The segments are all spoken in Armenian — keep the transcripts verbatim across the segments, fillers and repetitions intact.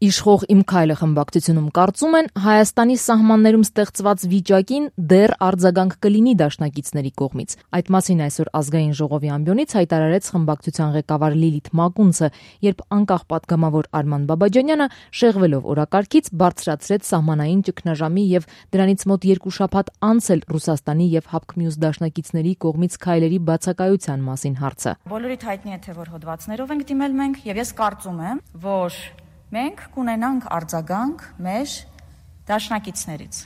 Իշխող «Իմ քայլը» խմբակցությունում կարծում են, Հայաստանի սահմաններում ստեղծված վիճակին դեռ արձագանք կլինի դաշնակիցների կողմից։ Այդ մասին այսօր Ազգային ժողովի ամբիոնից հայտարարեց խմբակցության ղեկավար Լիլիթ Մակունցը, երբ անկախ պատգամավոր Արման Բաբաջանյանը շեղվելով օրակարգից բարձրացրեց սահմանային ճգնաժամի եւ դրանից մոտ երկու շաբաթ անց էլ Ռուսաստանի եւ ՀԱՊԿ-մյուս դաշնակիցների կողմից քայլերի բացակայության մասին հարցը։ Բոլորիդ հայտնի է, թե որ հոդվածներով ենք դիմել մենք, եւ ես կարծում եմ, որ մենք կունենանք արձագանք մեր դաշնակիցներից։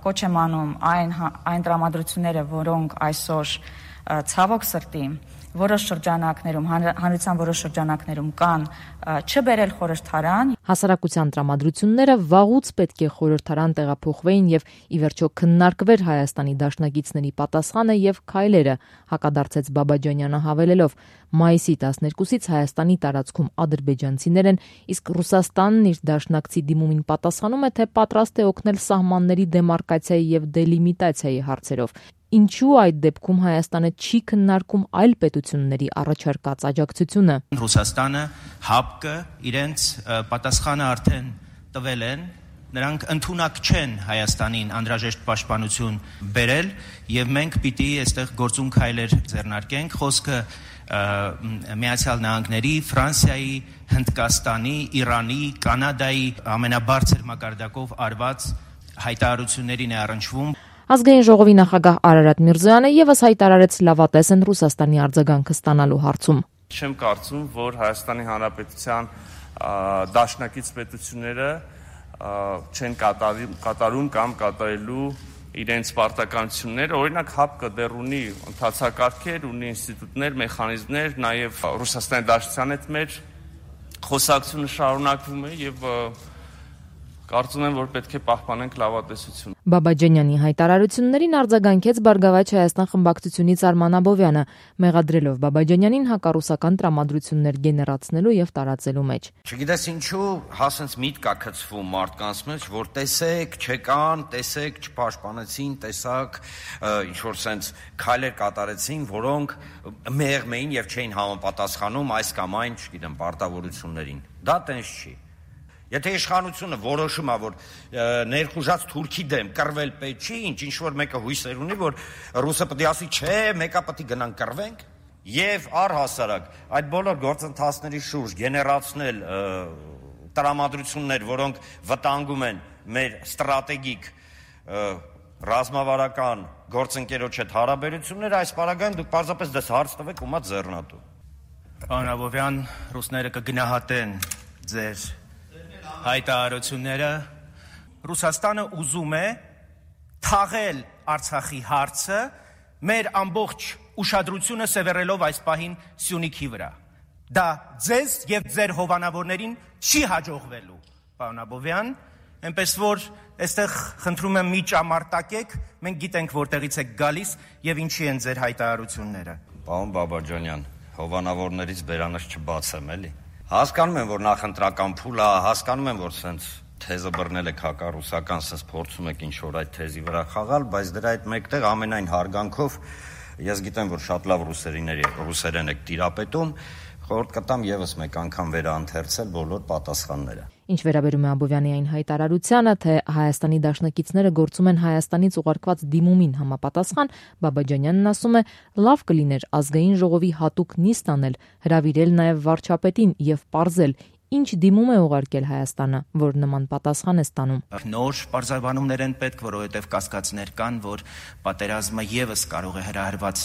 Կոչ եմ անում այն, այն տրամադրությունները, որոնք այսօր ցավոք սրտի որոշ շրջանակներում, հանրության որոշ շրջանակներում կան, չբերել խորհրդարան։ Հասարակության տրամադրությունները վաղուց պետք է խորհրդարան տեղափոխվեին եւ ի վերջո քննարկվեր Հայաստանի դաշնակիցների պատասխանը եւ քայլերը, հակադարձեց Բաբաջանյանը հավելելով. մայիսի տասներկուսից Հայաստանի տարածքում ադրբեջանցիներ են, իսկ Ռուսաստանն իր դաշնակցի դիմումին պատասխանում է, թե պատրաստ է օգնել սահմանների դեմարկացիայի եւ դելիմիտացիայի հարցերով։ Ինչու այդ դեպքում Հայաստանը չի քննարկում այլ պետությունների առաջարկած աջակցությունը։ Ռուսաստանը, ՀԱՊԿ-ը իրենց պատասխանը արդեն տվել են, նրանք ընդունակ չեն Հայաստանին անհրաժեշտ պաշտպանություն բերել եւ մենք պիտի այստեղ գործուն քայլեր ձեռնարկենք։ Խոսքը Միացյալ Նահանգների, Ֆրանսիայի, Հնդկաստանի, Իրանի, Կանադայի ամենաբարձր մակարդակով արված հայտարարություններին է առնչվում։ Ազգային ժողովի նախագահ Արարատ Միրզոյանը եւս հայտարարեց լավատես են Ռուսաստանի արձագանքը ստանալու հարցում։ Չեմ կարծում, որ Հայաստանի Հանրապետության դաշնակից պետությունները չեն կատարում կամ կատարելու իրենց պարտականությունները, օրինակ ՀԱՊԿ-ը դեռ ունի ընթացակարգեր, ունի ինստիտուտներ, մեխանիզմներ, նաև Ռուսաստանի Դաշնության հետ մեր խոսակցությունը շարունակվում է եւ կարծում եմ, որ պետք է պահպանենք լավատեսություն։ Բաբաջանյանի հայտարարություններին արձագանքեց Բարգավաճ Հայաստան խմբակցությունից Արման Աբովյանը, մեղադրելով Բաբաջանյանին հակառուսական տրամադրություններ գեներացնելու եւ տարածելու մեջ։ Չգիտես ինչու, հասենց միտք կա գցվում մարդկանց մեջ, որ տեսեք, չեկան, տեսեք, չպաշտպանեցին, տեսակ, ինչ որ sense քայլեր կատարեցին, որոնք մեղմ էին եւ չէին համապատասխանում այս կամ այն, չգիտեմ, պարտավորություններին։ Դա տենց չի։ Եթե իշխանությունը որոշում է, որ ներխուժած Թուրքի դեմ կռվել պետք չի, ինչ ինչ-որ մեկը հույսեր ունի, որ ռուսը պետք է ասի, չէ, մեկա պետք է գնանք կռվենք, եւ առհասարակ այդ բոլոր գործընթացների շուրջ գեներացնել տրամադրություններ, որոնք վտանգում են մեր ստրատեգիկ ռազմավարական գործընկերոջ հետ հարաբերությունները, այս պարագայում դուք պարզապես դες հարց տվեք ու մա ձեռնատու։ Պարոն Աբովյան, ռուսները կգնահատեն ձեր հայտարարությունները։ Ռուսաստանը ուզում է թաղել Արցախի հարցը մեր ամբողջ ուշադրությունը սևեռելով այս պահին Սյունիքի վրա։ Դա ձեզ եւ ձեր հովանավորներին չի հաջողվելու, պարոն Աբովյան, այնպես որ այստեղ խնդրում եմ մի ճամարտակեք, մենք գիտենք որտեղից եք գալիս եւ ինչի են ձեր հայտարարությունները։ Պարոն Բաբաջանյան, հովանավորներից բերանս չբացեմ, էլի։ Հասկանում եմ, որ նախընտրական փուլ է, հասկանում եմ, որ սենց թեզը բռնել եք հակառուսական, սենց փորձում եք ինչ-որ այդ թեզի վրա խաղալ, բայց դրա այդ մեկտեղ ամենայն հարգանքով ես գիտեմ, որ շատ լավ ռուսերեն եք տիրապետում, խորհուրդ կտամ եւս մեկ անգամ վերաընթերցել բոլոր պատասխանները։ Ինչ վերաբերում է Աբովյանի այն հայտարարությանը, թե Հայաստանի դաշնակիցները գործում են Հայաստանից ուղարկված դիմումին համապատասխան, Բաբաջանյանն ասում է, լավ կլիներ Ազգային ժողովի հատուկ նիստ անել, հրավիրել նաեւ վարչապետին եւ պարզել, ինչ դիմում է ուղարկել Հայաստանը, որ նման պատասխան է ստանում։ Նոր պարզաբանումներ են պետք, որովհետև կասկածներ կան, որ պատերազմը եւս կարող է հրահրված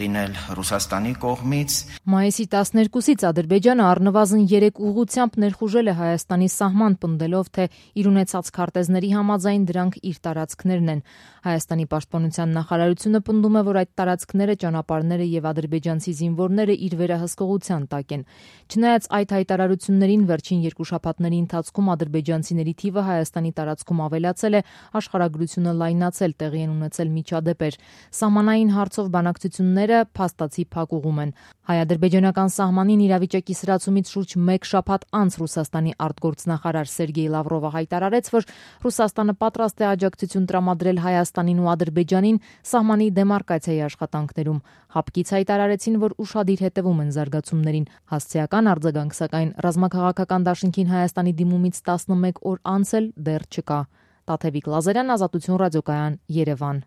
լինել Ռուսաստանի կողմից։ Մայիսի տասներկուսից Ադրբեջանը առնվազն երեք ուղղությամբ ներխուժել է Հայաստանի սահման, պնդելով, թե իր ունեցած քարտեզների համաձայն դրանք իր տարածքներն են։ Հայաստանի պաշտպանության նախարարությունը պնդում է, որ այդ տարածքները, ճանապարհները եւ ադրբեջանցի զինվորները իր վերահսկողության տակ են։ Չնայած այդ հայտարարություններին վերջին երկու շաբաթների ընթացքում ադրբեջանցիների թիվը Հայաստանի տարածքում ավելացել է, աշխարհագրությունը լայնացել, տեղի են ունեցել միջադեպեր։ Սահմանային հարցով բանակցությունները փաստացի փակուղում են։ Հայ-ադրբեջանական սահմանին իրավիճակի սրացումից շուրջ մեկ շաբաթ անց Ռուսաստանի արտգործնախարար Սերգեյ Լավրովը հայտարարեց, որ Ռուսաստանը պատրաստ է աջակցություն տրամադրել Հայաստանին ու Ադրբեջանին սահմանի դեմարկացիայի աշխատանքներում։ Հապկից հայտարարեցին, որ ուշադիր հետևում են զարգացումներին։ Հասցեական արձագանք, սակայն ռազմաքաղաքական դաշինքին Հայաստանի դիմումից տասնմեկ օր անց էլ դեռ չկա։ Տաթևիկ Լազարյան, Ազատություն ռադիոկայան, Երևան։